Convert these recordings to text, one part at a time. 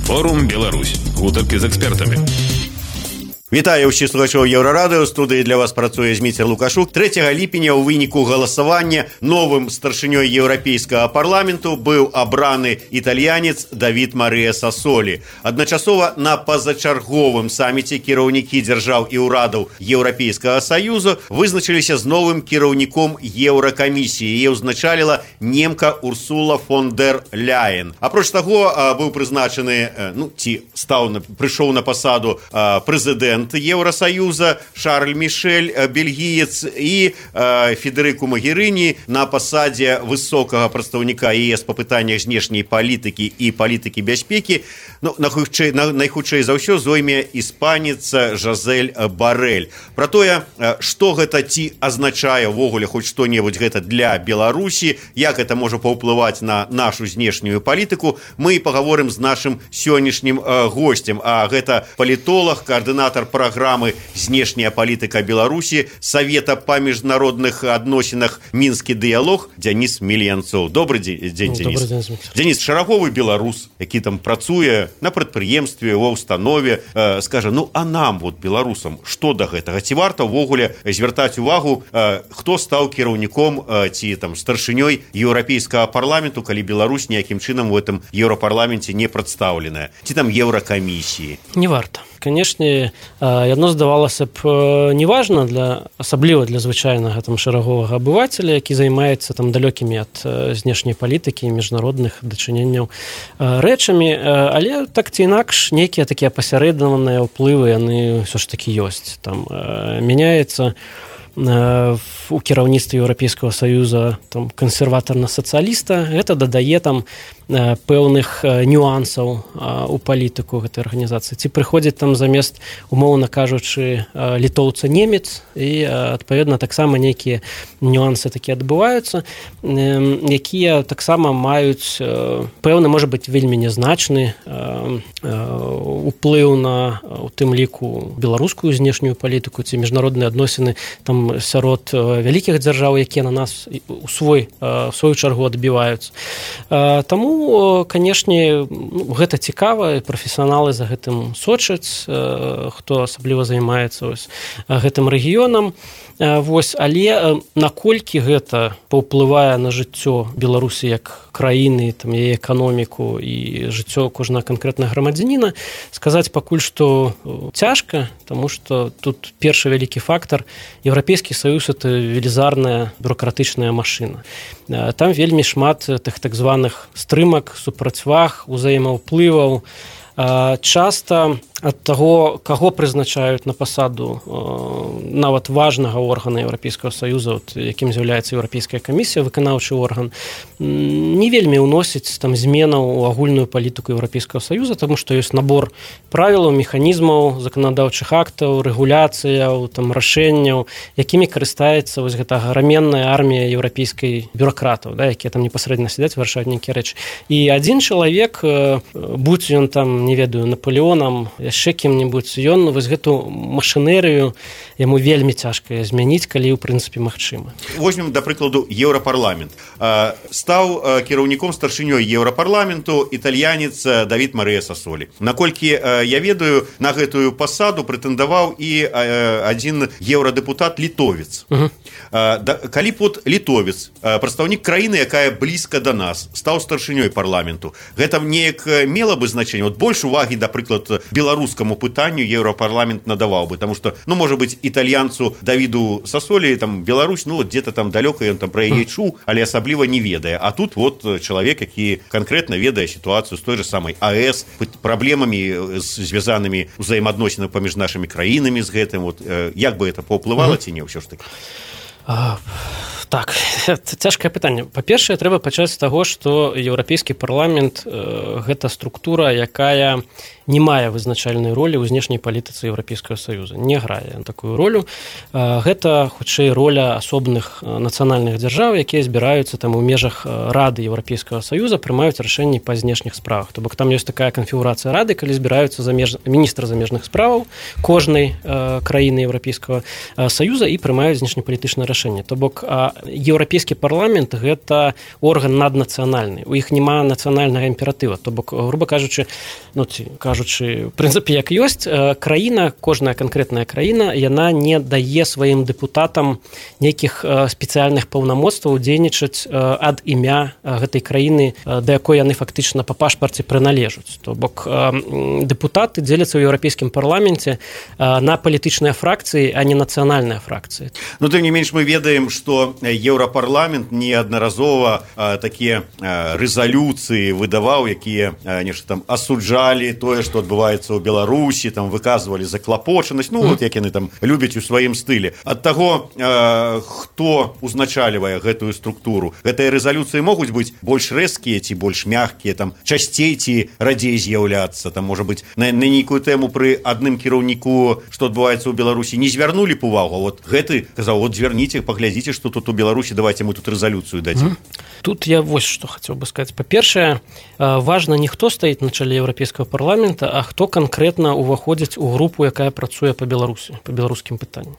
Форум Беларусь. Гутаркі з экспертамі. Вітаю ўсіх слухачоў Еўрарадыё. Студыі для вас працуе Зміцер Лукашук. 3 ліпеня ў выніку галасавання новым старшынёй Еўрапейскага парламенту быў абраны італьянец Давід Марыя Сасолі. Адначасова на пазачарговым саміце кіраўнікі дзяржаў і ўрадаў Еўрапейскага Саюзу вызначыліся з новым кіраўніком Еўракамісіі. Яе ўзначаліла немка Урсула фон дер Ляйен. Апроч таго, быў прызначаны, прыйшоў на пасаду прэзідэнт Евросоюза Шарль Мишель, бельгіец, і Федерику Магеріні на пасадзе высокага прадстаўніка ЕС па пытаннях знешняй палітыкі і палітыкі бяспекі. Найхутчэй за ўсё зойме іспанец Жозель Борель. Пра тое, што гэта ці азначае ўвогуле хоць што-небудзь гэта для Беларусі, як гэта можа паўплываць на нашу знешнюю палітыку, мы пагаворым з нашым сённяшнім госцем. А гэта палітолог, координатор программы «Знешняя политика Беларуси» Совета по международных адносінах «Мінскі дыялог» Денис Мельянцов. Добрый день, Денис. Добрый день. Денис, шараговы беларус, які там працуе на прадпрыемстве, ва ўстанове, скажа, а нам, беларусам, што да гэтага? Ці варта ўвогуле звяртаць увагу, хто стаў кіраўніком ці старшынёй Еўрапейскага парламенту, калі Беларусь ніякім чынам у этом Еўрапарламенце не прадстаўленая? Ці там Еўракамісіі? Не варта. Канешне, яно здавалася б неважна, асабліва для звычайнага шараговага абывацеля, які займаецца далёкімі ад знешняй палітыкі і міжнародных дачыненняў рэчамі, але так ці інакш нейкія такія пасярэднаваныя ўплывы яны ўсё ж такі ёсць. Там мяняецца у кіраўніцтве Еўрапейскага Саюза кансерватарна-сацыяліста, гэта дадае пэўных нюансаў у палітыку гэтай арганізацыі. Ці прыходзіць замест, умоўна кажучы, літоўца-немец, і адпаведна таксама нейкія нюансы такія адбываюцца, якія таксама маюць пэўны, можа быць, вельмі нязначны уплыў на, у тым ліку, беларускую знешнюю палітыку ці міжнародныя адносіны сярод вялікіх дзяржаў, якія на нас у сваю чаргу адбіваюцца. Таму, канешне, гэта цікава, прафесіяналы за гэтым сочаць, хто асабліва займаецца гэтым рэгіёнам. Але наколькі гэта паўплывае на жыццё Беларусі як краіны, яе эканоміку і жыццё кожнага канкрэтнага грамадзяніна, сказаць пакуль што цяжка, таму што тут першы вялікі фактар — Еўрапейскі Саюз — это велізарная бюрократычная машына. Там вельмі шмат тых так званых стрымак, супрацьваг, узаемаўплываў. Часта ад таго, каго прызначаюць на пасаду нават важнага органа Еўрапейскага Саюза, якім з'яўляецца Еўрапейская камісія, выканаўчы орган, не вельмі ўносіць зменаў у агульную палітыку Еўрапейскага Саюза, таму што ёсць набор правілаў, механізмаў, заканадаўчых актаў, рэгуляцыяў, рашэнняў, якімі карыстаецца гэта аграменная армія еўрапейскай бюракратаў, якія непасрэдна сядзяць, вырашаюць нейкія рэчы. І адзін чалавек, будь ён не ведаю, Наполеонам, яшчэ кім-небудзь, ён гэту машынерыю яму вельмі цяжка змяніць, калі ў прынцыпе магчыма. Возьмем, да прыкладу, Еўрапарламент. Стаў кіраўніком старшынёй Еўрапарламенту італьянец Давід Марыя Сасолі. Наколькі я ведаю, на гэтую пасаду прэтэндаваў і адзін еўрадэпутат літовец. Калі літовец, прадстаўнік краіны, якая блізка да нас, стаў старшынёй парламенту, гэта неяк мела бы значэнне? Больш увагі, да прыклад, беларускаму пытанню Еўрапарламент надаваў бы, таму што, можа быць, італьянцу Давіду Сасолі, Беларусь, дзе-то далёка ён пра яе чуў, але асабліва не ведае. А тут чалавек, які канкрэтна ведае сітуацыю з той же самай АЭС, праблемамі, звязанымі ўзаемаадносінамі паміж нашымі краінамі з гэтым. Як бы это паўплывала ці не ўсё ж такі? Так, цяжкае пытанне. Па-першае, трэба пачаць з таго, што Еўрапейскі парламент гэта структура, якая не мае вызначальнай ролі ў знешняй палітыцы Еўрапейскага Саюза. Не грае такую ролю. Гэта, хутчэй, роля асобных нацыянальных дзяржаў, якія збіраюцца у межах Рады Еўрапейскага Саюза, прымаюць рашэнні па знешніх справах. То бок там ёсць такая канфігурацыя Рады, калі збіраюцца міністры замежных справаў кожнай краіны Еўрапейскага Саюза і прымаюць знешнепалітычнае рашэнне. То бок еўрапейскі парламент гэта орган наднацыянальны, у іх няма нацыянальнага імператыва, то бок, грубо кажучы, в прынцыпе, як ёсць, краіна, кожная канкрэтная краіна, яна не дае сваім дэпутатам нейкіх спецыяльных паўнамоцтваў дзейнічаць ад імя гэтай краіны, да якой яны фактычна па пашпарце прыналежаць. То бок дэпутаты дзеляцца ў еўрапейскім парламенце на палітычныя фракцыі, а не нацыянальныя фракцыі. Но тым не менш мы ведаем, што еўрапарламент неаднаразова такія рэзалюцыі выдаваў, якія нешта там асуджалі тое, што адбываецца ў Беларусі, там выказвалі заклапочанасць, вот як яны там любяць у сваім стылі. Ад таго, хто узначальвае гэтую структуру, гэтыя рэзалюцыі могуць быць больш рэзкія ці больш мягкія, там часцей ці радзей з'яўляцца, там можа быць на нейкую тэму пры адным кіраўніку, што адбываецца ў Беларусі, не звярнулі б увагу. Вот гэты казаў, вот звярніце, паглядзіце, што тут у Беларусі, давайте мы тут рэзалюцыю дадзім. Тут я вось што хацеў бы сказаць. Па-першае, важна не хто стаіць на чале еўрапейскага парламента, а хто канкрэтна ўваходзіць у групу, якая працуе па Беларусі, па беларускім пытанні.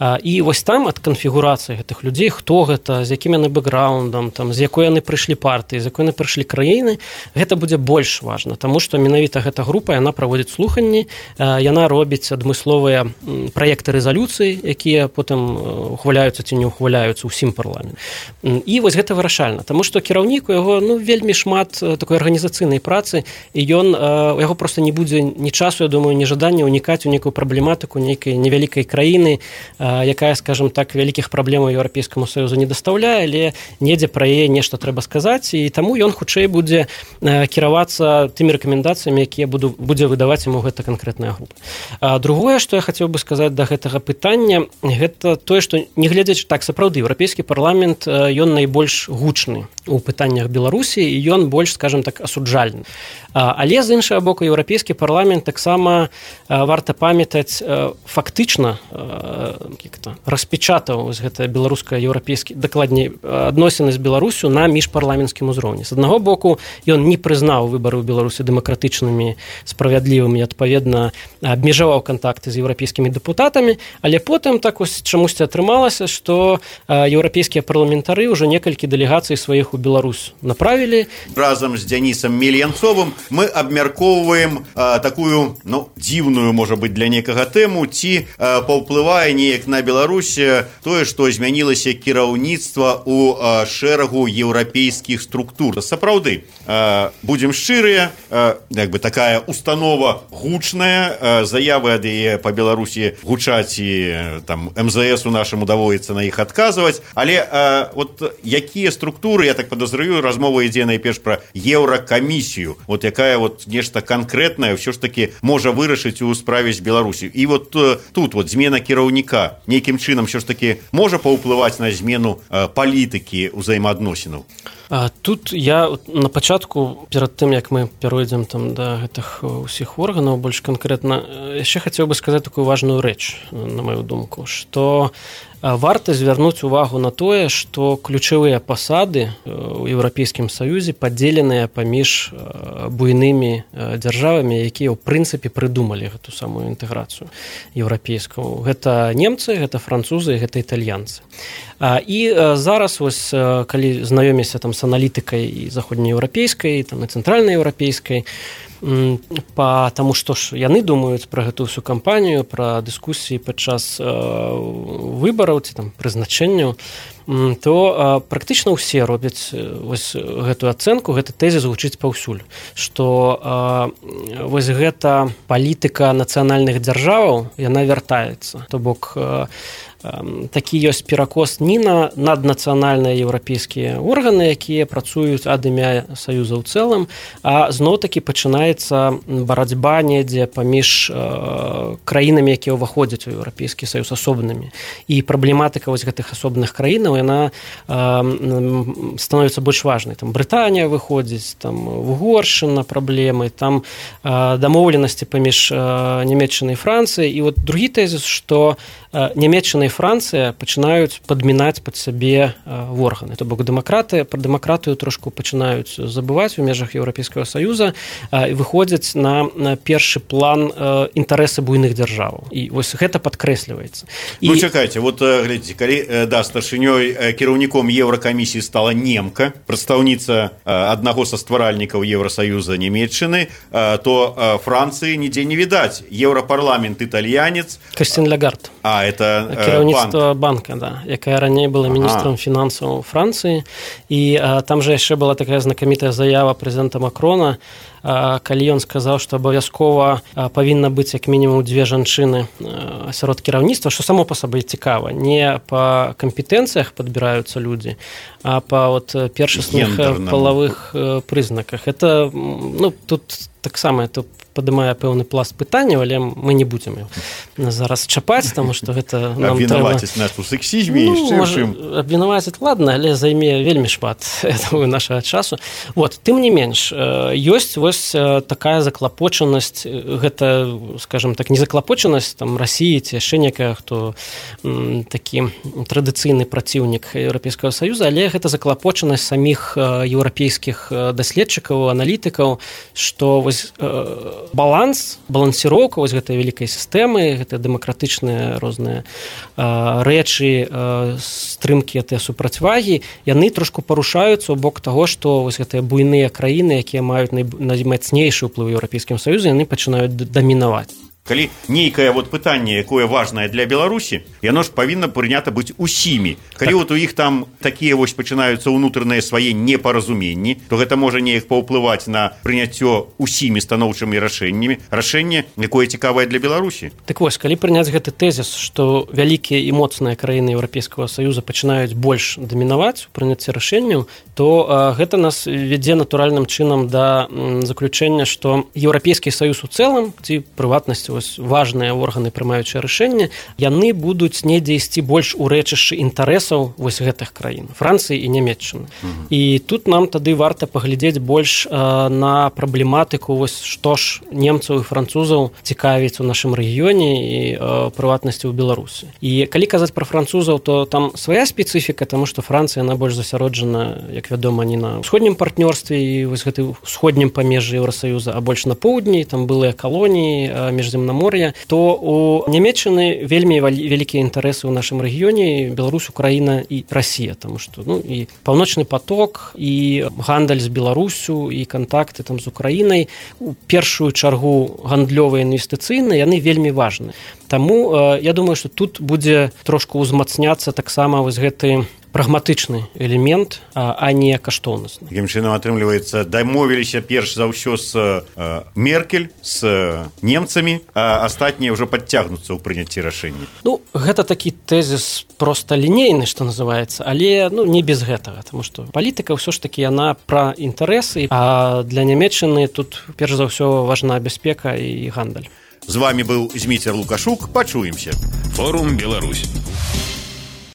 І вось там ад канфігурацыі гэтых людзей, хто гэта, з якім яны бэкграундам, там, з якой яны прыйшлі партыі, з якой яны прыйшлі краіны, гэта будзе больш важна, таму што менавіта гэта група, яна праводзіць слуханні, яна робіць адмысловыя праекты рэзалюцый, якія потым ухваляюцца ці не ухваляюцца ўсім парламент. І вось гэта вырашальна, таму што кіраўнік у яго вельмі шмат такой арганізацыйнай працы, і у яго проста не будзе ні часу, я думаю, ні жадання ўнікаць у нейкую праблематыку нейкай невялікай краіны, якая, скажем так, вялікіх праблемаў Еўрапейскаму Саюзу не дастаўляе, але недзе пра яе нешта трэба сказаць, і таму ён хутчэй будзе кіравацца тымі рэкамендацыямі, якія будзе выдаваць яму гэта канкрэтная група. Другое, што я хацеў бы сказаць да гэтага пытання, гэта тое, што нягледзячы так, сапраўды, еўрапейскі парламент, ён найбольш гучны у пытаннях Беларусі, і ён больш, скажем так, асуджальны. Але, з іншага боку, еўрапейскі парламент таксама варта памятаць фактычна распечатаў гэта беларуска-еўрапейскі, дакладней, адносіны з Беларусю на міжпарламенцкім узроўні. З аднаго боку, ён не прызнаў выбары ў Беларусі дэмакратычнымі, справядлівымі, адпаведна, абмежаваў кантакты з еўрапейскімі дэпутатамі, але потым так ось чамусьці атрымалася, што еўрапейскія парламентары ўжо некалькі дэлегацый сваіх у Беларусь направілі. Разам з Дзянісам Мельянцовым мы абмяркоўваем такую, дзіўную, можа быць, для некага тэму, ці паўплывае неяк на Беларусь тое, што змянілася кіраўніцтва ў шэрагу еўрапейскіх структур. Сапраўды, будзем шчырыя, такая установа гучная, заявы ад яе па Беларусі гучаць, і там МЗС у нашаму даводіцца на іх адказваць, але вот якія структуры, я так подозрюю, размова ідзе найперш пра еўракамісію, вот якая вот нешта канкрэтнае ўсё ж таки можа вырашыць у справе з Беларусі. І вот тут вот змена кіраўніка нейкім чынам ўсё ж таки можа паўплываць на змену палітыкі ўзаемаадносінаў. Тут я на пачатку, перад тым, як мы перайдзем там да гэтых усіх органаў, больш канкрэтна, яшчэ хацеў бы сказаць такую важную рэч, на маю думку, што варта звярнуць увагу на тое, што ключавыя пасады ў Еўрапейскім Саюзе падзеленыя паміж буйнымі дзяржавамі, якія ў прынцыпе прыдумалі гэту самую інтэграцыю еўрапейскую. Гэта немцы, гэта французы, гэта італьянцы. І зараз вось, калі знаёміся там з аналітыкай і заходнееўрапейскай, там і цэнтральнаеўрапейскай, таму што ж яны думаюць пра гэту ўсю кампанію, пра дыскусіі падчас выбараў ці там прызначэнняў, то практычна ўсе робяць вось гэтую ацэнку, гэты тэзіс гучыць паўсюль, што вось гэта палітыка нацыянальных дзяржаваў, яна вяртаецца. То бок такі ёсць перакос не на наднацыянальныя еўрапейскія органы, якія працуюць ад імя Саюза ў цэлым, а зноў-такі пачынаецца барацьба недзе паміж краінамі, якія ўваходзяць у Еўрапейскі Саюз асобнымі. І праблематыка вось гэтых асобных краінаў, яна становіцца больш важнай. Там Брытанія выходзіць, там Угоршчына праблемы, там дамоўленасці паміж Нямецчынай і Францыяй. І вот другі тэзіс, што Нямецчына і Францыя пачынаюць падмінаць пад сябе органы. То бок пра дэмакратыю трошку пачынаюць забываць у межах Еўрапейскага Саюза і выходзяць на першы план інтарэсы буйных дзяржаваў. І вось гэта падкрэсліваецца. Чакайце, вот глядзіце, калі старшынёй вясной кіраўніком Еўракамісіі стала немка, прадстаўніца аднаго са стваральнікаў Еўрасаюза Нямецчыны, то Францыі нідзе не відаць. Еўрапарламент італьянец. Кристин Лагард. Это кіраўніцтва банка, да, якая раней была міністрам фінансаў Францыі. І там жа яшчэ была такая знакамітая заява прэзідэнта Макрона, калі ён сказаў, што абавязкова павінна быць як мінімум 2 жанчыны сярод кіраўніцтва, што само па сабе цікава. Не па кампетэнцыях падбіраюцца людзі, а па першасных палавых прызнаках. Это, тут таксама это падымае пэўны пласт пытанняў, але мы не будзем зараз чапаць, таму што гэта нам трэба... Абвінаваціць нас у сексізме і чым. Абвінаваціць, ладно, але займе вельмі шмат нашага часу. Тым не менш, ёсць вось такая заклапочанасць, гэта, скажем так, не заклапочанасць там Расіі ці яшчэ некая, хто такі традыцыйны праціўнік Еўрапейскага Саюза, але гэта заклапочанасць саміх еўрапейскіх даследчыкаў, аналітыкаў, што вось балансіроўка вось гэтай вялікай сістэмы, гэтыя дэмакратычныя розныя рэчы, стрымкі гэтыя супрацьвагі, яны трошку парушаюцца ў бок таго, што вось гэтыя буйныя краіны, якія маюць наймацнейшы ўплыў у Еўрапейскім Саюзе, яны пачынаюць дамінаваць. Калі нейкае пытанне, якое важнае для Беларусі, яно ж павінна прынята быць усімі. Калі у іх там такія пачынаюцца ўнутраныя свае непаразуменні, то гэта можа неяк паўплываць на прыняццё усімі станоўчымі рашэннямі, рашэнне, якое цікавае для Беларусі. Так вось, калі прыняць гэты тэзіс, што вялікія і моцныя краіны Еўрапейскага Саюза пачынаюць больш дамінаваць у прыняцці рашэнняў, то гэта нас вядзе натуральным чынам да заключэння, што Еўрапейскі Саюз у цэлым, ці прыватнасці важныя органы, прымаючыя рашэнне, яны будуць недзе ісці больш у рэчышчы інтарэсаў гэтых краін, Францыі і Нямецчыны. І тут нам тады варта паглядзець больш на праблематыку, што ж немцаў і французаў цікавіць у нашым рэгіёне і прыватнасці ў Беларусі. І калі казаць пра французаў, то там свая спецыфіка, таму што Францыя, яна больш засяроджана, як вядома, не на ўсходнім партнёрстве і гэты ўсходнім памежжы Еўрасаюза, а больш на поўдні, там былыя калоніі міжземнамор'я, то у Нямецчыны вельмі вялікія інтарэсы ў нашым рэгіёне, Беларусь, Украіна і Расія, таму што і паўночны поток, і гандаль з Беларусю, і кантакты там з Украінай, у першую чаргу гандлёвыя інвестыцыйныя, яны вельмі важны. Таму я думаю, што тут будзе трошку ўзмацняцца таксама гэты прагматычны элемент, а не каштоўнасны. Такім чынам, атрымліваецца, дамовіліся перш за ўсё з Меркель, з немцамі, а астатнія ўжо падцягнуцца ў прыняцці рашэння. Гэта такі тэзіс проста лінейны, што называецца, але не без гэтага, таму што палітыка ўсё ж такі яна пра інтарэсы, а для Нямецчыны тут перш за ўсё важна бяспека і гандаль. З вами быў Зміцер Лукашук. Пачуемся. Форум Беларусь.